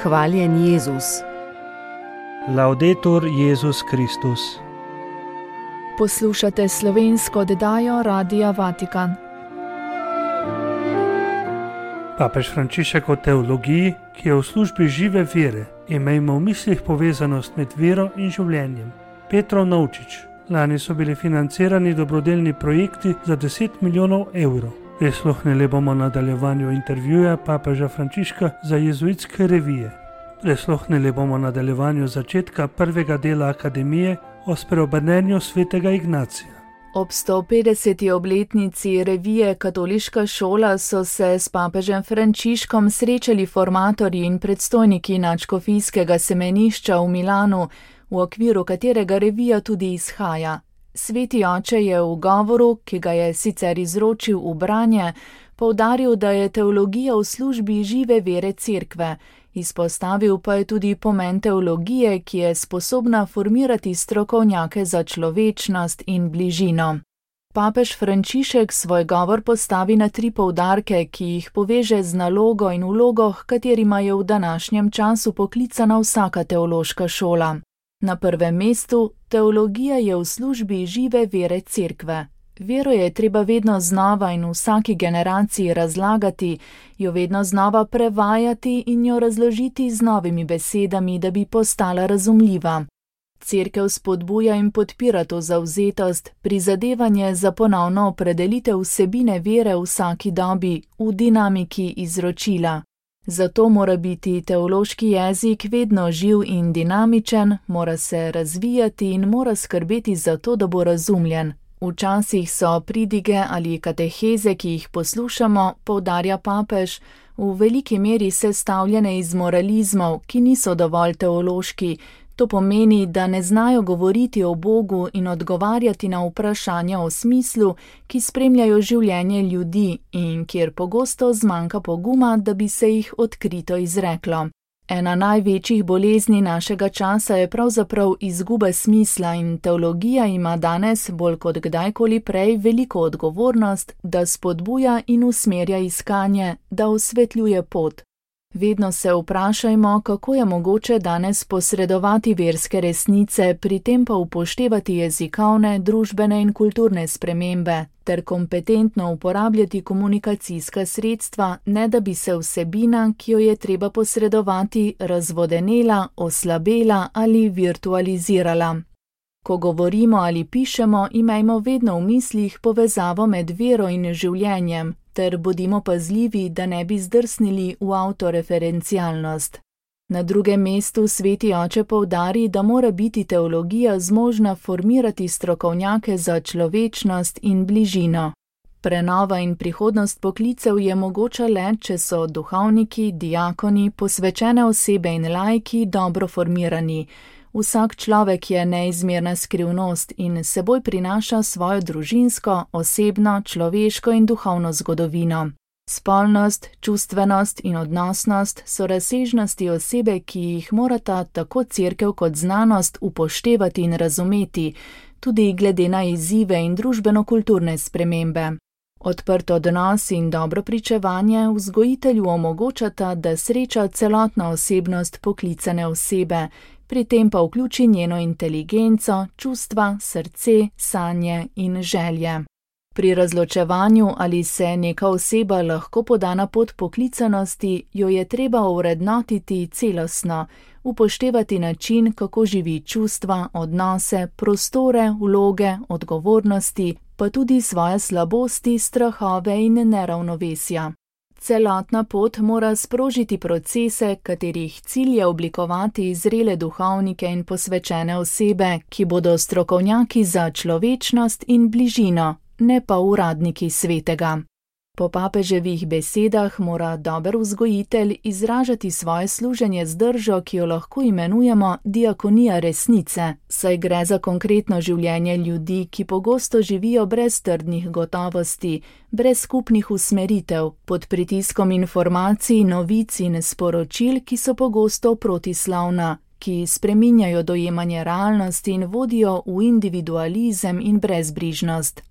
Hvaljen Jezus. Laudetur Jezus Kristus. Poslušate slovensko oddajo Radia Vatikan. Papež Frančišek o teologiji, ki je v službi žive vere, imejmo v mislih povezanost med vero in življenjem. Petrov Navčič. Lani so bili financirani dobrodelni projekti za 10 milijonov evrov. Prisluhnili bomo nadaljevanju intervjuja papeža Frančiška za jezuitske revije. Prisluhnili bomo nadaljevanju začetka prvega dela akademije o spreobrnenju svetega Ignacija. Ob 150. obletnici revije Katoliška šola so se s papežem Frančiškom srečali formatorji in predstojniki nadškofijskega semenišča v Milanu, v okviru katerega revija tudi izhaja. Sveti oče je v govoru, ki ga je sicer izročil v branje, poudaril, da je teologija v službi žive vere Cerkve, izpostavil pa je tudi pomen teologije, ki je sposobna formirati strokovnjake za človečnost in bližino. Papež Frančišek svoj govor postavi na 3 poudarke, ki jih poveže z nalogo in vlogo, katerima je v današnjem času poklicana vsaka teološka šola. Na prvem mestu, teologija je v službi žive vere Cerkve. Vero je treba vedno znova in v vsaki generaciji razlagati, jo vedno znova prevajati in jo razložiti z novimi besedami, da bi postala razumljiva. Cerkev spodbuja in podpira to zavzetost, prizadevanje za ponovno opredelitev vsebine vere v vsaki dobi, v dinamiki izročila. Zato mora biti teološki jezik vedno živ in dinamičen, mora se razvijati in mora skrbeti za to, da bo razumljen. Včasih so pridige ali kateheze, ki jih poslušamo, poudarja papež, v veliki meri sestavljene iz moralizmov, ki niso dovolj teološki. To pomeni, da ne znajo govoriti o Bogu in odgovarjati na vprašanja o smislu, ki spremljajo življenje ljudi in kjer pogosto zmanjka poguma, da bi se jih odkrito izreklo. Ena največjih bolezni našega časa je pravzaprav izguba smisla in teologija ima danes bolj kot kdajkoli prej veliko odgovornost, da spodbuja in usmerja iskanje, da osvetljuje pot. Vedno se vprašajmo, kako je mogoče danes posredovati verske resnice, pri tem pa upoštevati jezikovne, družbene in kulturne spremembe, ter kompetentno uporabljati komunikacijska sredstva, ne da bi se vsebina, ki jo je treba posredovati, razvodenela, oslabela ali virtualizirala. Ko govorimo ali pišemo, imejmo vedno v mislih povezavo med vero in življenjem, ter bodimo pazljivi, da ne bi zdrsnili v avtoreferencialnost. Na drugem mestu sveti oče poudari, da mora biti teologija zmožna formirati strokovnjake za človečnost in bližino. Prenova in prihodnost poklicev je mogoča le, če so duhovniki, diakoni, posvečene osebe in laiki dobro formirani. Vsak človek je neizmerna skrivnost in seboj prinaša svojo družinsko, osebno, človeško in duhovno zgodovino. Spolnost, čustvenost in odnosnost so razsežnosti osebe, ki jih morata tako Cerkev kot znanost upoštevati in razumeti, tudi glede na izzive in družbeno-kulturne spremembe. Odprt odnos in dobro pričevanje vzgojitelju omogočata, da sreča celotno osebnost poklicane osebe, pri tem pa vključi njeno inteligenco, čustva, srce, sanje in želje. Pri razločevanju, ali se neka oseba lahko poda na pot poklicanosti, jo je treba ovrednotiti celostno, upoštevati način, kako živi čustva, odnose, prostore, vloge, odgovornosti, pa tudi svoje slabosti, strahove in neravnovesja. Celotna pot mora sprožiti procese, katerih cilj je oblikovati zrele duhovnike in posvečene osebe, ki bodo strokovnjaki za človečnost in bližino, ne pa uradniki svetega. Po papeževih besedah mora dober vzgojitelj izražati svoje služenje z držo, ki jo lahko imenujemo diakonija resnice, saj gre za konkretno življenje ljudi, ki pogosto živijo brez trdnih gotovosti, brez skupnih usmeritev, pod pritiskom informacij, novic in sporočil, ki so pogosto protislovna, ki spreminjajo dojemanje realnosti in vodijo v individualizem in brezbrižnost.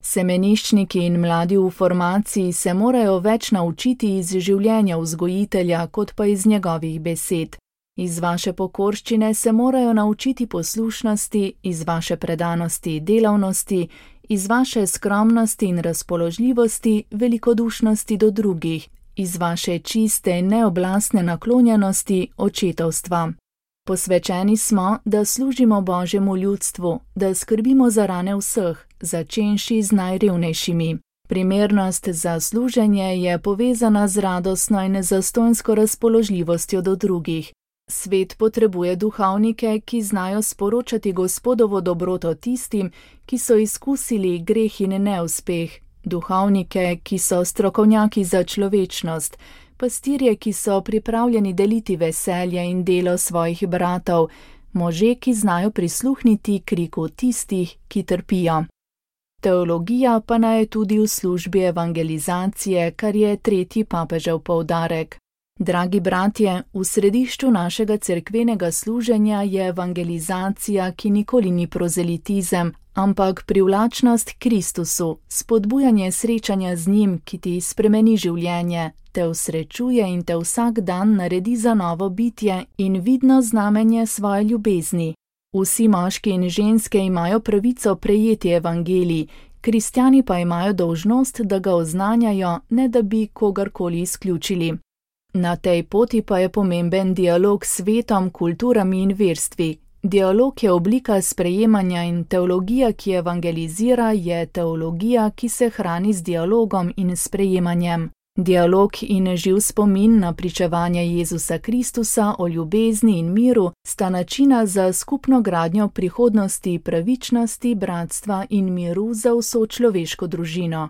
Semeniščniki in mladi v formaciji se morajo več naučiti iz življenja vzgojitelja, kot pa iz njegovih besed. Iz vaše pokorščine se morajo naučiti poslušnosti, iz vaše predanosti delavnosti, iz vaše skromnosti in razpoložljivosti velikodušnosti do drugih, iz vaše čiste in neoblastne naklonjenosti očetovstva. Posvečeni smo, da služimo Božjemu ljudstvu, da skrbimo za rane vseh, začenši z najrevnejšimi. Primernost za služenje je povezana z radostno in zastonjsko razpoložljivostjo do drugih. Svet potrebuje duhovnike, ki znajo sporočati Gospodovo dobroto tistim, ki so izkusili greh in neuspeh, duhovnike, ki so strokovnjaki za človečnost, pastirje, ki so pripravljeni deliti veselje in delo svojih bratov, može, ki znajo prisluhniti kriku tistih, ki trpijo. Teologija pa naj je tudi v službi evangelizacije, kar je tretji papežev poudarek. Dragi bratje, v središču našega cerkvenega služenja je evangelizacija, ki nikoli ni prozelitizem, ampak privlačnost Kristusu, spodbujanje srečanja z njim, ki ti spremeni življenje, te usrečuje in te vsak dan naredi za novo bitje in vidno znamenje svoje ljubezni. Vsi moški in ženske imajo pravico prejeti evangelij, kristjani pa imajo dolžnost, da ga oznanjajo, ne da bi kogarkoli izključili. Na tej poti pa je pomemben dialog s svetom, kulturami in verstvi. Dialog je oblika sprejemanja in teologija, ki evangelizira, je teologija, ki se hrani z dialogom in sprejemanjem. Dialog in živ spomin na pričevanje Jezusa Kristusa o ljubezni in miru sta načina za skupno gradnjo prihodnosti, pravičnosti, bratstva in miru za vso človeško družino.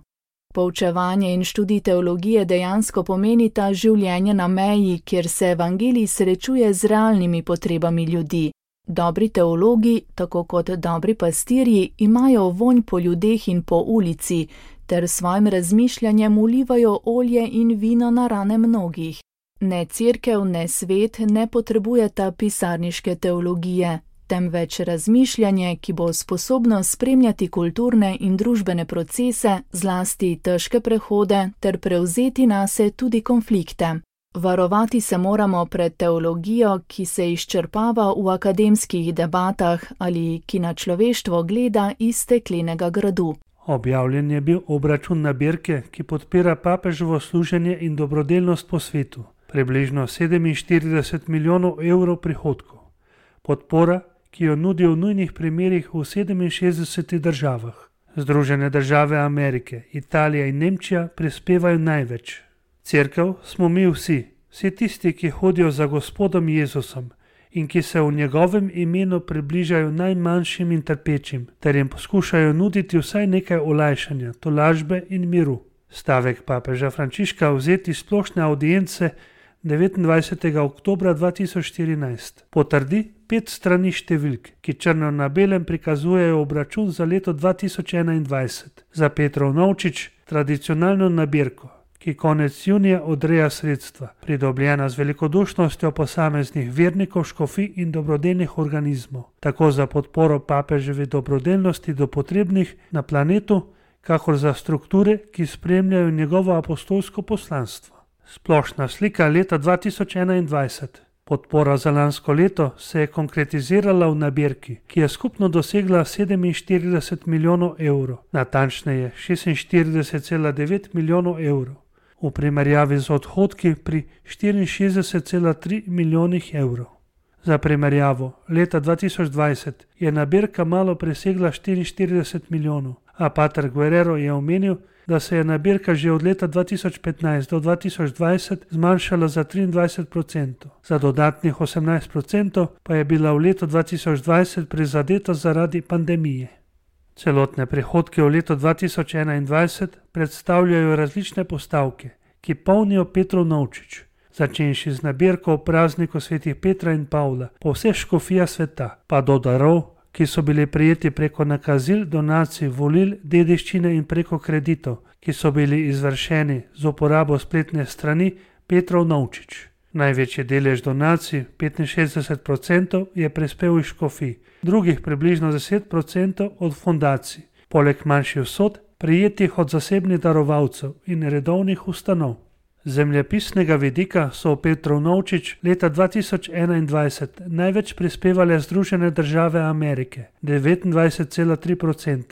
Poučevanje in študij teologije dejansko pomenita življenje na meji, kjer se evangelij srečuje z realnimi potrebami ljudi. Dobri teologi, tako kot dobri pastirji, imajo vonj po ljudeh in po ulici, ter svojim razmišljanjem ulivajo olje in vino na rane mnogih. Ne cerkev, ne svet ne potrebujeta pisarniške teologije, temveč razmišljanje, ki bo sposobno spremljati kulturne in družbene procese, zlasti težke prehode, ter prevzeti nase tudi konflikte. Varovati se moramo pred teologijo, ki se izčrpava v akademskih debatah ali ki na človeštvo gleda iz steklenega gradu. Objavljen je bil obračun nabirke, ki podpira papeževo služenje in dobrodelnost po svetu. Približno 47 milijonov evrov prihodkov. Podpora, ki jo nudijo v nujnih primerih v 67 državah. Združene države Amerike, Italija in Nemčija prispevajo največ. Cerkev smo mi vsi tisti, ki hodijo za Gospodom Jezusom in ki se v njegovem imenu približajo najmanjšim in trpečim, ter jim poskušajo nuditi vsaj nekaj olajšanja, tolažbe in miru. Stavek papeža Frančiška vzeti splošne audience 29. oktobra 2014 potrdi 5 strani številk, ki črno na belem prikazujejo obračun za leto 2021 za Petrov Novčič, tradicionalno nabirko, ki konec junija odreja sredstva, pridobljena z velikodušnostjo posameznih vernikov, škofij in dobrodelnih organizmov, tako za podporo papeževi dobrodelnosti do potrebnih na planetu, kakor za strukture, ki spremljajo njegovo apostolsko poslanstvo. Splošna slika leta 2021. Podpora za lansko leto se je konkretizirala v nabirki, ki je skupno dosegla 47 milijonov evrov, natančneje 46,9 milijonov evrov, v primerjavi z odhodki pri 64,3 milijonih evrov. Za primerjavo, leta 2020 je nabirka malo presegla 44 milijonov, a pater Guerrero je omenil, da se je nabirka že od leta 2015 do 2020 zmanjšala za 23%, za dodatnih 18% pa je bila v letu 2020 prizadeta zaradi pandemije. Celotne prihodke v letu 2021 predstavljajo različne postavke, ki polnijo Petrov Novčič, začenši z nabirko o prazniku svetih Petra in Pavla po vseh škofijah sveta, pa do darov, ki so bili prejeti preko nakazil, donacij, volil, dediščine in preko kreditov, ki so bili izvršeni z uporabo spletne strani Petrov Novčič. Največji delež donacij, 65%, je prispel iz škofij, drugih približno 10% od fondacij. Poleg manjših vsot, prijetih od zasebnih darovalcev in redovnih ustanov. Zemljepisnega vidika so Petrov Novčič leta 2021 največ prispevale Združene države Amerike 29,3%,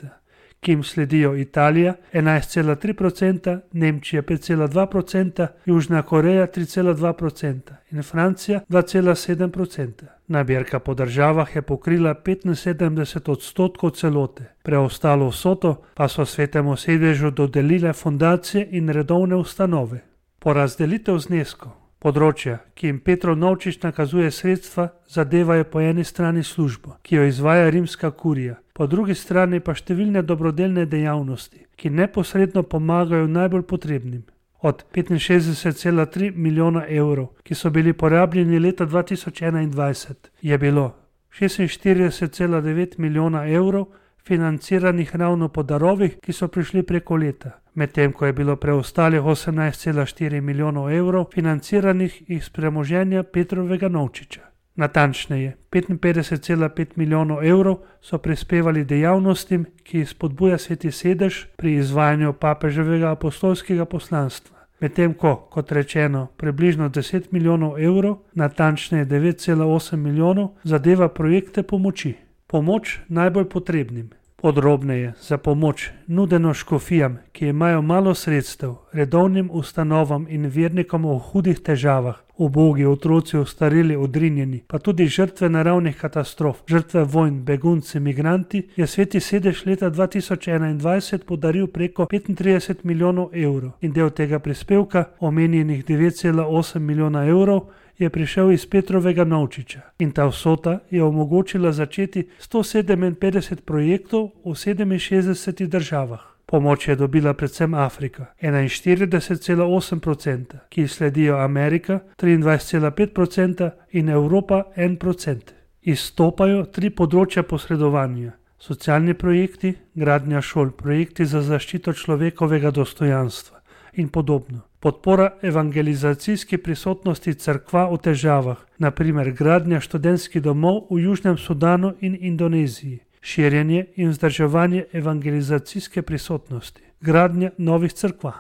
ki jim sledijo Italija 11,3%, Nemčija 5,2%, Južna Koreja 3,2% in Francija 2,7%. Nabirka po državah je pokrila 75% celote, preostalo vsoto pa so Svetemu sedežu dodelile fundacije in redovne ustanove. Porazdelitev zneskov. Področja, ki jim Petrov Novčič nakazuje sredstva, zadevajo po eni strani službo, ki jo izvaja rimska kurija, po drugi strani pa številne dobrodelne dejavnosti, ki neposredno pomagajo najbolj potrebnim. Od 65,3 milijona evrov, ki so bili porabljeni leta 2021, je bilo 46,9 milijona evrov financiranih ravno po darovih, ki so prišli preko leta, medtem ko je bilo preostalih 18,4 milijonov evrov financiranih iz premoženja Petrovega Novčiča. Natančneje, 55,5 milijonov evrov so prispevali dejavnostim, ki jih spodbuja Sveti sedež pri izvajanju papeževega apostolskega poslanstva, medtem ko, kot rečeno, približno 10 milijonov evrov, natančneje 9,8 milijonov, zadeva projekte pomoči. Pomoč najbolj potrebnim. Podrobneje za pomoč nudeno škofijam, ki imajo malo sredstev, redovnim ustanovam in vernikom v hudih težavah, ubogi otroci, ostareli, odrinjeni, pa tudi žrtve naravnih katastrof, žrtve vojn, begunci, migranti, je Sveti sedež leta 2021 podaril preko 35 milijonov evrov in del tega prispevka, omenjenih 9,8 milijona evrov, je prišel iz Petrovega Novčiča in ta vsota je omogočila začeti 157 projektov v 67 državah. Pomoč je dobila predvsem Afrika 41,8%, ki sledijo Amerika 23,5% in Evropa 1%. Izstopajo 3 področja posredovanja: socialni projekti, gradnja šol, projekti za zaščito človekovega dostojanstva in podobno. Podpora evangelizacijski prisotnosti cerkva v težavah, naprimer gradnja študentskih domov v Južnem Sudanu in Indoneziji, širjenje in vzdrževanje evangelizacijske prisotnosti, gradnja novih cerkva.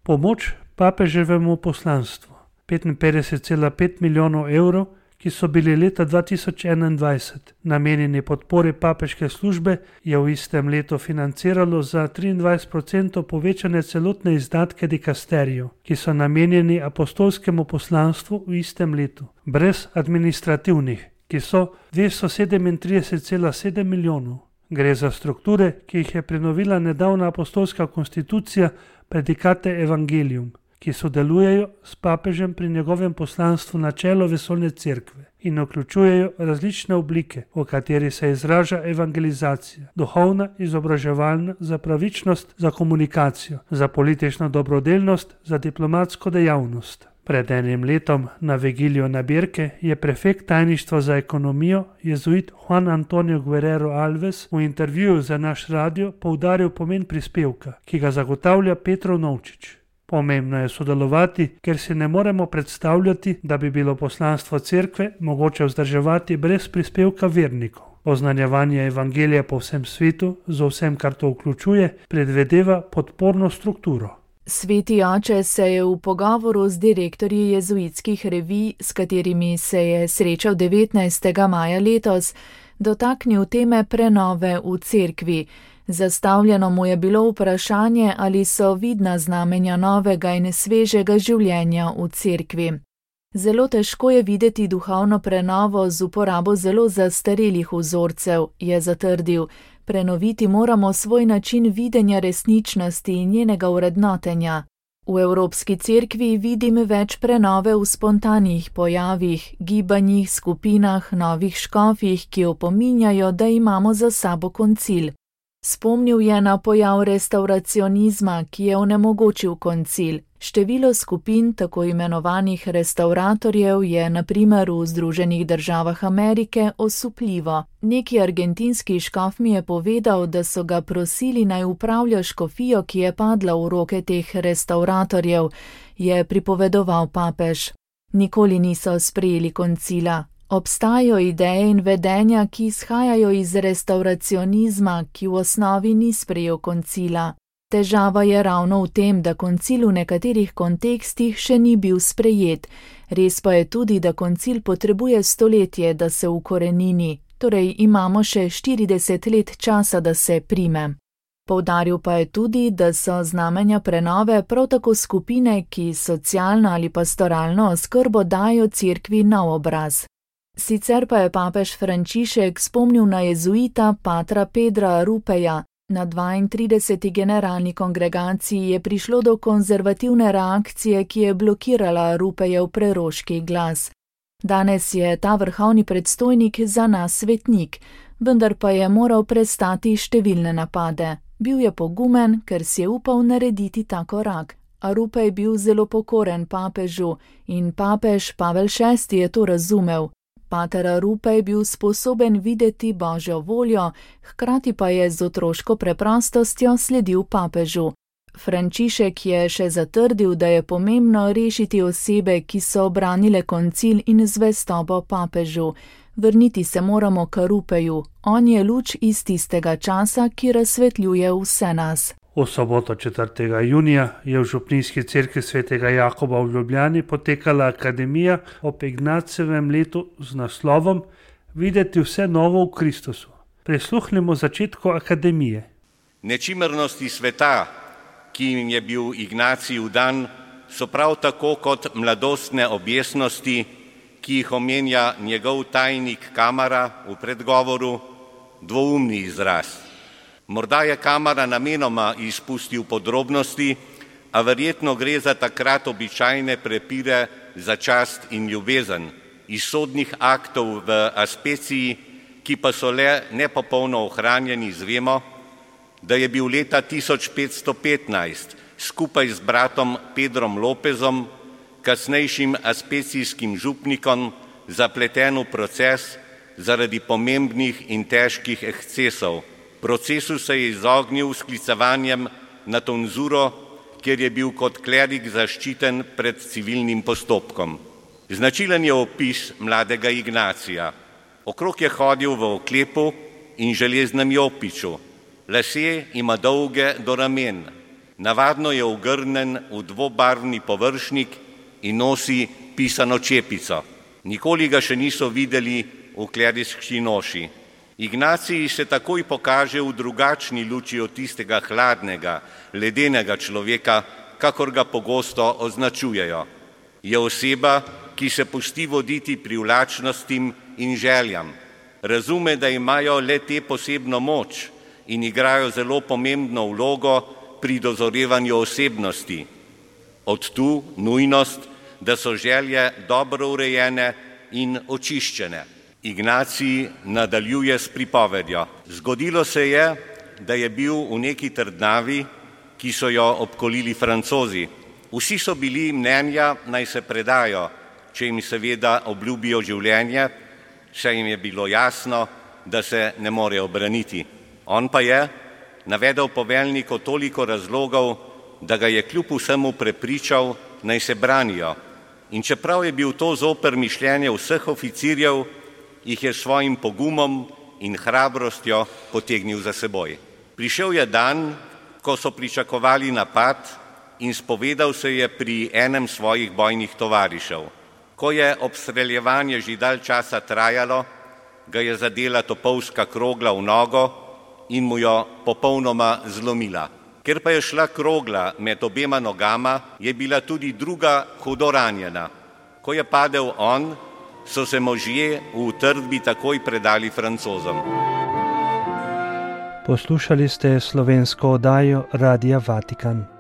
Pomoč papeževemu poslanstvu 55,5 milijonov evrov, ki so bili leta 2021 namenjeni podpori papeške službe, je v istem letu financiralo za 23% povečane celotne izdatke dikasterijev, ki so namenjeni apostolskemu poslanstvu v istem letu, brez administrativnih, ki so 237,7 milijonov. Gre za strukture, ki jih je prenovila nedavna apostolska konstitucija Predikate Evangelium, ki sodelujejo s papežem pri njegovem poslanstvu na čelo vesoljne cerkve in vključujejo različne oblike, v kateri se izraža evangelizacija, duhovna, izobraževalna, za pravičnost, za komunikacijo, za politično dobrodelnost, za diplomatsko dejavnost. Pred enim letom na vigilijo nabirke je prefekt tajništva za ekonomijo, jezuit Juan Antonio Guerrero Alves, v intervjuju za naš radio poudaril pomen prispevka, ki ga zagotavlja Petrov Novčič. Pomembno je sodelovati, ker si ne moremo predstavljati, da bi bilo poslanstvo cerkve mogoče vzdrževati brez prispevka vernikov. Oznanjevanje evangelija po vsem svetu, z vsem, kar to vključuje, predvedeva podporno strukturo. Sveti oče se je v pogovoru z direktorji jezuitskih revij, s katerimi se je srečal 19. maja letos, dotaknil teme prenove v cerkvi. Zastavljeno mu je bilo vprašanje, ali so vidna znamenja novega in svežega življenja v cerkvi. Zelo težko je videti duhovno prenovo z uporabo zelo zastarelih vzorcev, je zatrdil. Prenoviti moramo svoj način videnja resničnosti in njenega vrednotenja. V Evropski cerkvi vidim več prenove v spontanih pojavih, gibanjih, skupinah, novih škofih, ki opominjajo, da imamo za sabo koncil. Spomnil je na pojav restavracionizma, ki je onemogočil koncil. Število skupin tako imenovanih restavratorjev je na primer v Združenih državah Amerike osupljivo. Neki argentinski škof mi je povedal, da so ga prosili naj upravlja škofijo, ki je padla v roke teh restavratorjev, je pripovedoval papež. Nikoli niso sprejeli koncila. Obstajajo ideje in vedenja, ki izhajajo iz restavracionizma, ki v osnovi ni sprejel koncila. Težava je ravno v tem, da koncil v nekaterih kontekstih še ni bil sprejet. Res pa je tudi, da koncil potrebuje stoletje, da se ukorenini, torej imamo še 40 let časa, da se prime. Poudaril pa je tudi, da so znamenja prenove prav tako skupine, ki socialno ali pastoralno oskrbo dajo cerkvi nov obraz. Sicer pa je papež Frančišek spomnil na jezuita patra Pedra Rupeja. Na 32. generalni kongregaciji je prišlo do konzervativne reakcije, ki je blokirala Rupejev preroški glas. Danes je ta vrhovni predstojnik za nas svetnik, vendar pa je moral prestati številne napade. Bil je pogumen, ker si je upal narediti ta korak. A Rupej je bil zelo pokoren papežu in papež Pavel VI je to razumel. Pater Rupej je bil sposoben videti Božjo voljo, hkrati pa je z otroško preprostostjo sledil papežu. Frančišek je še zatrdil, da je pomembno rešiti osebe, ki so obranile koncil in zvestobo papežu. Vrniti se moramo k Rupeju. On je luč iz tistega časa, ki razsvetljuje vse nas. V soboto 4. junija je v župnijski cerkvi svetega Jakoba v Ljubljani potekala akademija ob Ignacevem letu z naslovom Videti vse novo v Kristusu. Prisluhnimo začetku akademije. Nečimrnosti sveta, ki jim je bil Ignacij dan, so prav tako kot mladostne objesnosti, ki jih omenja njegov tajnik Kamara v predgovoru, dvoumni izraz. Morda je Kamara namenoma izpustil podrobnosti, a verjetno gre za takrat običajne prepire za čast in ljubezen, iz sodnih aktov v Aspeciji, ki pa so le nepopolno ohranjeni, zvemo, da je bil leta 1515 skupaj z bratom Pedrom Lopezom, kasnejšim aspecijskim župnikom, zapleten v proces zaradi pomembnih in težkih ekscesov. Procesu se je izognil sklicevanjem na tonzuro, kjer je bil kot klerik zaščiten pred civilnim postopkom. Značilen je opis mladega Ignacija. Okrog je hodil v oklepu in železnem jopiču. Lasje ima dolge do ramen. Navadno je ogrnjen v dvobarvni površnik in nosi pisano čepico. Nikoli ga še niso videli v kleriški noši. Ignacij se takoj pokaže v drugačni luči od tistega hladnega, ledenega človeka, kakor ga pogosto označujejo. Je oseba, ki se pusti voditi privlačnostim in željam. Razume, da imajo le te posebno moč in igrajo zelo pomembno vlogo pri dozorevanju osebnosti. Od tu nujnost, da so želje dobro urejene in očiščene. Ignacij nadaljuje s pripovedjo. Zgodilo se je, da je bil v neki trdnavi, ki so jo obkolili Francozi. Vsi so bili mnenja, naj se predajo, če jim seveda obljubijo življenje, saj jim je bilo jasno, da se ne morejo braniti. On pa je navedel poveljniku toliko razlogov, da ga je kljub vsemu prepričal, naj se branijo. In čeprav je bil to zoper mišljenje vseh oficirjev, jih je svojim pogumom in hrabrostjo potegnil za seboj. Prišel je dan, ko so pričakovali napad in spovedal se je pri enem svojih bojnih tovarišev. Ko je obstreljevanje že dalj časa trajalo, ga je zadela topovska krogla v nogo in mu jo popolnoma zlomila. Ker pa je šla krogla med obema nogama, je bila tudi druga hudo ranjena. Ko je padel on, so se možje v utrdbi takoj predali Francozom. Poslušali ste slovensko oddajo Radia Vatikan.